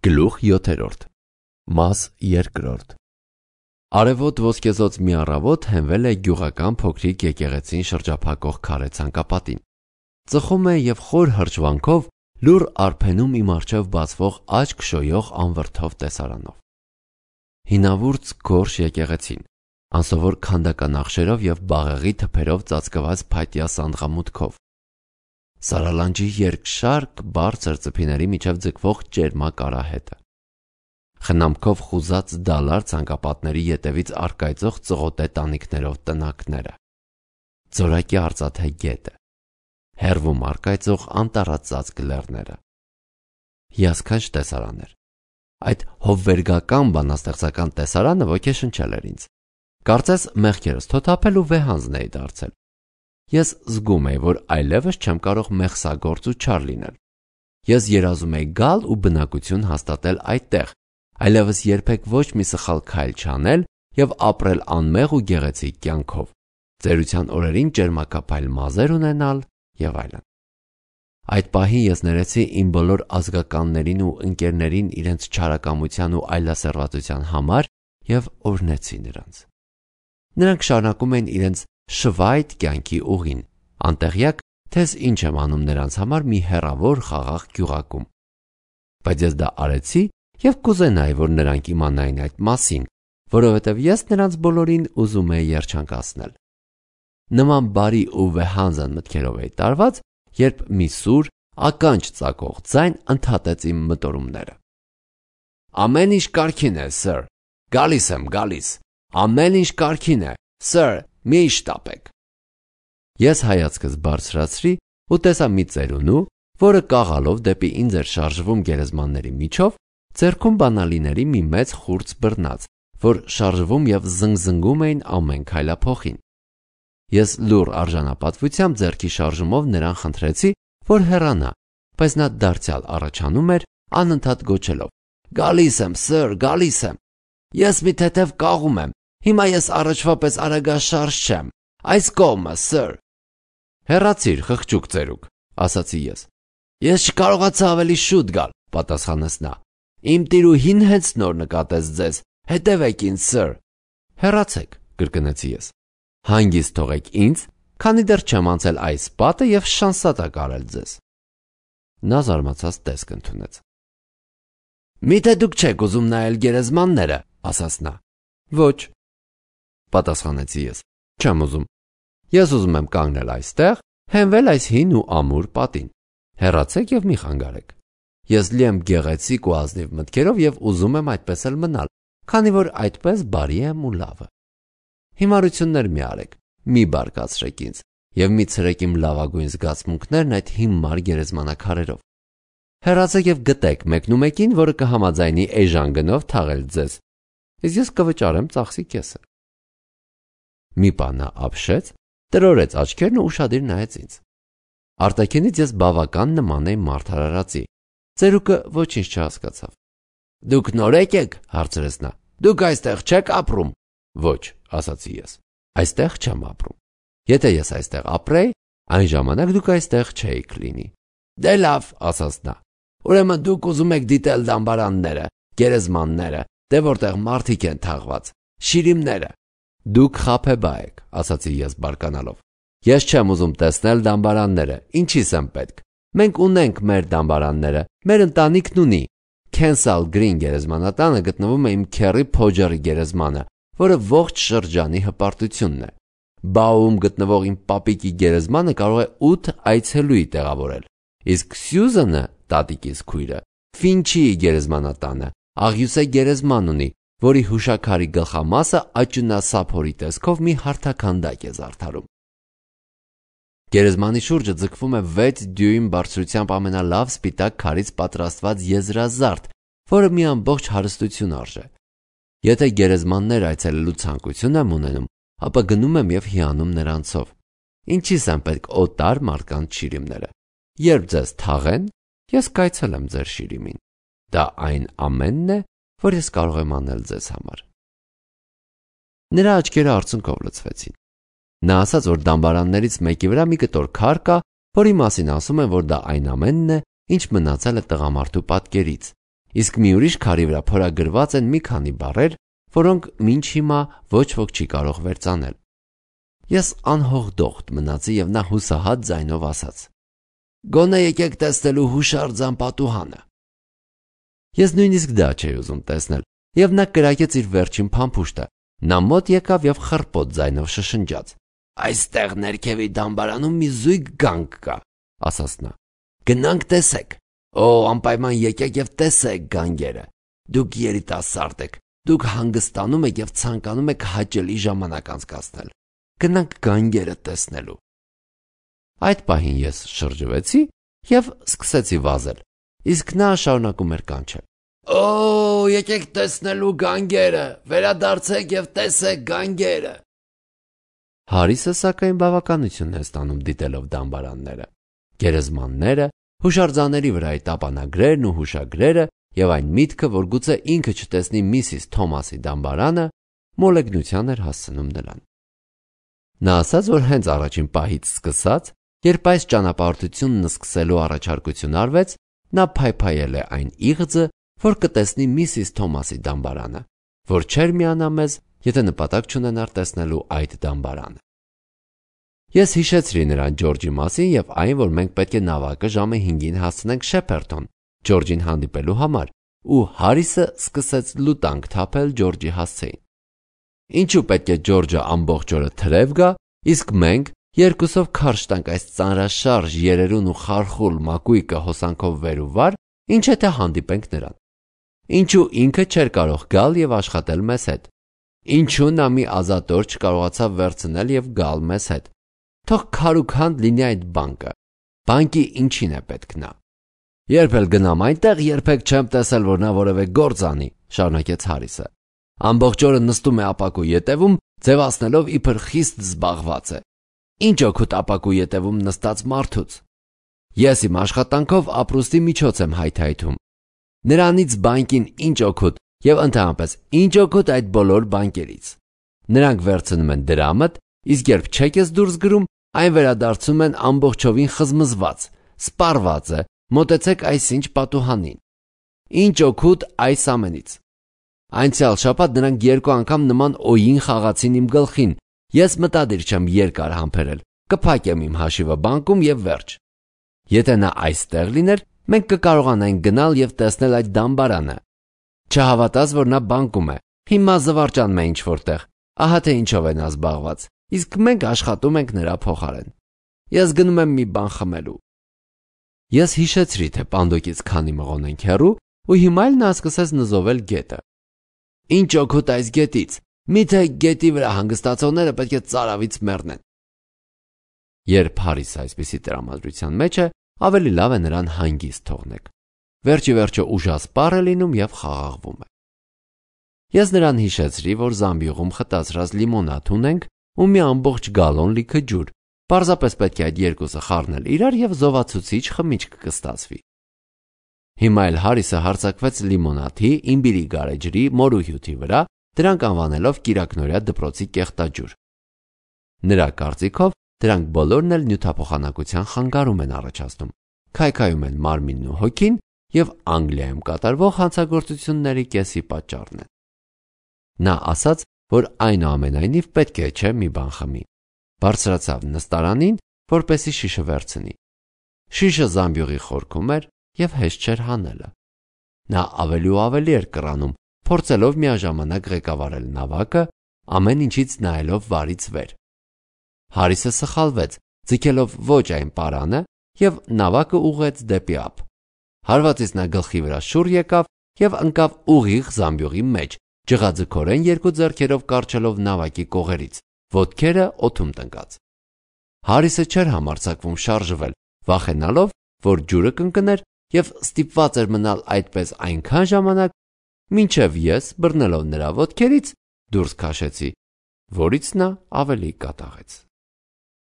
Գլուխ 7 Մաս 2 Արևոտ ոսկեզոծ մի առավոտ հենվել է գյուղական փոքրիկ եկեղեցին շրջափակող քարե ցանկապատին։ Ծխում է եւ խոր հրճվանքով լուր արփենում իմ առջև բացվող աչք շոյող անվրդով տեսարանով։ Հինավուրց գորշ եկեղեցին, անսովոր քանդական աղշերով եւ բաղեղի թփերով ծածկված փայտյա սանդղամուտքով։ Սարալանջի երկշարք բարձր ծփիների միջև ձգվող ճերմակ արահետը։ Խնամքով խուզած դալար ցանկապատների ետևից արկայծող ծղոտե տանիքներով տնակները։ Ձորակի արծաթե գետը։ Հեռվում արկայծող անտառածածկ լեռները։ Հիասքանչ տեսարան էր։ Այդ հովվերգական բանաստեղծական տեսարանը ոգեշնչել էր ինձ։ Կարծես մեղքերս թոթափել ու վեհանձն էի դարձել։ Ես զգում էի, որ այլևս չեմ կարող մեղսագործ ու չար լինել։ Ես երազում էի գալ ու բնակություն հաստատել այդտեղ, այլևս երբեք ոչ մի սխալ քայլ չանել եւ ապրել անմեղ ու գեղեցիկ կյանքով, ծերության օրերին ճերմակափայլ մազեր ունենալ եւ այլն։ Այդ պահին ես ներեցի իմ բոլոր ազգականներին ու ընկերներին իրենց չարակամության ու այլասերվածության համար եւ օրհնեցի նրանց։ Նրանք շարունակում էին իրենց շվայտ կյանքի ուղին, անտեղյակ, թե ինչ եմ անում նրանց համար մի հեռավոր խաղաղ գյուղակում։ Բայց ես դա արեցի եւ կուզենայի, որ նրանք իմանային այդ մասին, որովհետեւ ես նրանց բոլորին ուզում էի երջանկացնել։ Նման բարի ու վեհանձն մտքերով էի տարված, երբ մի սուր, ականջ ծակող ձայն ընդհատեց իմ մտորումները։ Ամեն ինչ կարգին է, սըր։ Գալիս եմ, գալիս։ Ամեն ինչ կարգին է, սըր, մի շտապեք։ Ես հայացքս բարձրացրի ու տեսա մի ծերունու, որը կաղալով դեպի ինձ էր շարժվում գերեզմանների միջով, ձեռքում բանալիների մի մեծ խուրձ բռնած, որ շարժվում եւ զնգզնգում էին ամեն քայլափոխին։ Ես լուր արժանապատվությամբ ձեռքի շարժումով նրան խնդրեցի, որ հեռանա, բայց նա դարձյալ առաջանում էր, անընդհատ գոչելով. Գալիս եմ, սըր, գալիս եմ։ Ես մի թեթև կաղում եմ։ Հիմա ես առաջվա պես արագաշարժ չեմ։ Այս կողմը, սըր։ Հեռացիր, խղճուկ ծերուկ, ասացի ես։ Ես չկարողացա ավելի շուտ գալ, պատասխանեց նա։ Իմ տիրուհին հենց նոր նկատեց ձեզ։ Հետևեք ինձ, սըր։ Հեռացեք, կրկնեցի ես։ Հանգիստ թողեք ինձ, քանի դեռ չեմ անցել այս պատը եւ շանսատակ արել ձեզ։ Նա զարմացած տեսք ընդունեց։ Միթե դուք չեք ուզում նայել գերեզմանները, ասաց նա։ Ոչ, պատասխանեցի ես։ Չեմ ուզում։ Ես ուզում եմ կանգնել այստեղ, հենվել այս հին ու ամուր պատին։ Հեռացեք եւ մի խանգարեք։ Ես լի եմ գեղեցիկ ու ազնիվ մտքերով եւ ուզում եմ այդպես էլ մնալ, քանի որ այդպես բարի եմ ու լավը։ Հիմարություններ մի արեք, մի բարկացրեք ինձ եւ մի ցրեք իմ լավագույն զգացմունքներն այդ հիմար գերեզմանակարերով։ Հեռացեք եւ գտեք մեկնումեկին, որը կհամաձայնի էժան գնով թաղել ձեզ։ Իսկ ես կվճարեմ ծախսի կեսը։ Մի բան նա ապշեց, տրորեց աչքերն ու ուշադիր նայեց ինձ։ Արտաքինից ես բավական նման էի մարդարարածի։ Ծերուկը ոչինչ չհասկացավ։ Դուք նորեկ եք, հարցրեց նա։ Դուք այստեղ չեք ապրում։ Ոչ, ասացի ես։ Այստեղ չեմ ապրում։ Եթե ես այստեղ ապրեի, այն ժամանակ դուք այստեղ չէիք լինի։ Դե լավ, ասաց նա։ Ուրեմն դուք ուզում եք դիտել դամբարանները, գերեզմանները, դե որտեղ մարդիկ են թաղված, շիրիմները։ Դուք խաբեբա եք, ասացի ես բարկանալով։ Ես չեմ ուզում տեսնել դամբարանները, ինչի՞ս եմ պետք։ Մենք ունենք մեր դամբարանները, մեր ընտանիքն ունի։ Քենսալ Գրին գերեզմանատանը գտնվում է իմ քեռի Փոջերի գերեզմանը, որը ողջ շրջանի հպարտությունն է։ Բաում գտնվող իմ պապիկի գերեզմանը կարող է 8 այցելուի տեղավորել։ Իսկ Սյուզանը, տատիկիս քույրը, Ֆինչիի գերեզմանատանը աղյուսե գերեզման ունի, որի հուշաքարի գլխամասը աճնասափորի տեսքով մի հարթաքանդակ է զարդարում։ Գերեզմանի շուրջը ձգվում է 6 դյույմ բարձրությամբ ամենալավ սպիտակ քարից պատրաստված եզրազարդ, որը մի ամբողջ հարստություն արժե։ Եթե գերեզմաններ այցելելու ցանկություն եմ ունենում, ապա գնում եմ եւ հիանում նրանցով։ Ինչի՞ս եմ պետք օտար մարդկանց շիրիմները։ Երբ ձեզ թաղեն, ես կայցելեմ ձեր շիրիմին։ Դա այն ամենն է, որ ես կարող եմ անել ձեզ համար։ Նրա աչքերը արցունքով լցվեցին։ Նա ասաց, որ դամբարաններից մեկի վրա մի կտոր քար կա, որի մասին ասում են, որ դա այն ամենն է, ինչ մնացել է տղամարդու պատկերից, իսկ մի ուրիշ քարի վրա փորագրված են մի քանի բառեր, որոնք մինչ հիմա ոչ ոք չի կարող վերծանել։ Ես անհողդողդ մնացի եւ նա հուսահատ ձայնով ասաց. «Գոնե եկեք տեսնելու հուշարձան պատուհանը»։ Ես նույնիսկ դա չէի ուզում տեսնել, եւ նա կրակեց իր վերջին փամփուշտը։ Նա մոտ եկավ եւ խռպոտ ձայնով շշնջաց. «Այստեղ ներքևի դամբարանում մի զույգ գանք կա», ասաց նա։ «Գնանք տեսեք։ Օ, անպայման եկեք եւ տեսեք գանգերը։ Դուք երիտասարդ եք, դուք հանգստանում եք եւ ցանկանում եք հաճելի ժամանակ անցկացնել։ Գնանք գանգերը տեսնելու»։ Այդ պահին ես շրջվեցի եւ սկսեցի վազել, իսկ նա շարունակում էր կանչել. «Օ, եկեք տեսնելու գանգերը, վերադարձեք եւ տեսեք գանգերը»։ Հարիսը սակայն բավականություն է ստանում դիտելով դամբարանները, գերեզմանները, հուշարձանների վրայի տապանագրերն ու հուշագրերը եւ այն միտքը, որ գուցե ինքը չտեսնի Միսիս Թոմասի դամբարանը, մոլեգնության էր հասցնում նրան։ Նա ասաց, որ հենց առաջին պահից սկսած, երբ այս ճանապարհորդությունն սկսելու առաջարկություն արվեց, նա փայփայել է այն իղձը, որ կտեսնի Միսիս Թոմասի դամբարանը, որ չէր միանա մեզ, եթե նպատակ չունենար տեսնելու այդ դամբարանը։ Ես հիշեցրի նրան Ջորջի մասին եւ այն, որ մենք պետք է նավակը ժամը 5-ին հասցնենք Շեփերթոն Ջորջին հանդիպելու համար, ու Հարիսը սկսեց լուտանք թափել Ջորջի հասցեին։ Ինչու պետք է Ջորջը ամբողջ օրը թրև գա, իսկ մենք երկուսով քարշ տանք այս ծանրաշարժ երերուն ու խարխուլ մակույկը հոսանքով վեր ու վար, ինչ եթե հանդիպենք նրան։ Ինչու ինքը չէր կարող գալ եւ աշխատել մեզ հետ։ Ինչու նա մի ազատոր չկարողացավ վերցնել եւ գալ մեզ հետ։ Թող քարուքանդ լինի այդ բանկը։ Բանկի ինչին է պետք նա։ Երբ էլ գնամ այնտեղ, երբեք չեմ տեսել, որ նա որևէ գործ անի, շարունակեց Հարիսը։ Ամբողջ օրը նստում է ապակու ետևում, ձևացնելով իբր խիստ զբաղված է։ Ինչ օգուտ ապակու ետևում նստած մարդուց։ Ես իմ աշխատանքով ապրուստի միջոց եմ հայթայթում։ Նրանից բանկին ինչ օգուտ եւ ընդհանրապես ինչ օգուտ այդ բոլոր բանկերից։ Նրանք վերցնում են դրամդ, իսկ երբ չեք ես դուրս գրում, այն վերադարձում են ամբողջովին խզմզված, սպառված է, մոտեցեք այսինչ պատուհանին։ Ինչ օգուտ այս ամենից։ Անցյալ շաբաթ նրանք 2 անգամ նման օյին խաղացին իմ գլխին։ Ես մտադիր չեմ երկար համբերել, կփակեմ իմ հաշիվը բանկում եւ վերջ։ Եթե նա այստեղ լիներ, մենք կկարողանայինք գնալ եւ տեսնել այդ դամբարանը։ Չհավատաս, որ նա բանկում է։ Հիմա զվարճանում է ինչ որտեղ։ Ահա թե ինչով է նա զբաղված, իսկ մենք աշխատում ենք նրա փոխարեն։ Ես գնում եմ մի բան խմելու։ Ես հիշեցրի, թե պանդոկից քանի մղոն ենք հեռու, ու հիմա էլ նա սկսեց նզովել գետը։ Ինչ օգուտ այս գետից։ Միթե գետի վրա հանգստացողները պետք է ծարավից մեռնեն։ Երբ Հարիսը այսպիսի տրամադրության մեջ է, ավելի լավ է նրան հանգիստ թողնեք։ Վերջի վերջո ուժասպառ է լինում եւ խաղաղվում է։ Ես նրան հիշեցրի, որ Զամբյուղում խտացրած լիմոնադ ունենք ու մի ամբողջ գալոն լիքը ջուր։ Պարզապես պետք է այդ երկուսը խառնել իրար եւ զովացուցիչ խմիչք կստացվի։ Հիմա էլ Հարիսը հարձակվեց լիմոնադի, իմբիրի գարեջրի, մորուհյութի վրա, դրանք անվանելով կիրակնորյա դպրոցի կեղտաջուր։ Նրա կարծիքով դրանք բոլորն էլ նյութափոխանակության խանգարում են առաջացնում, քայքայում են մարմինն ու հոգին եւ Անգլիայում կատարվող հանցագործությունների կեսի պատճառն են։ Նա ասաց, որ այնուամենայնիվ պետք է չէ մի բան խմի։ Բարձրացավ նստարանին, որպեսի շիշը վերցնի։ Շիշը Զամբյուղի խորքում էր եւ հեշտ չէր հանելը։ Նա ավելի ու ավելի էր կռանում, փորձելով միաժամանակ ղեկավարել նավակը, ամեն ինչից նայելով վարից վեր։ Հարիսը սխալվեց, ձգելով ոչ այն պարանը եւ նավակը ուղղեց դեպի ափ։ Հարվածից նա գլխի վրա շուռ եկավ եւ ընկավ ուղիղ Զամբյուղի մեջ, ջղաձգորեն 2 ձեռքերով կարճելով նավակի կողերից, ոտքերը օդում տնկած։ Հարիսը չէր համարձակվում շարժվել, վախենալով, որ ջուրը կընկներ եւ ստիպված էր մնալ այդպես այնքան ժամանակ, մինչև ես բռնելով նրա ոտքերից դուրս քաշեցի, որից նա ավելի կատաղեց։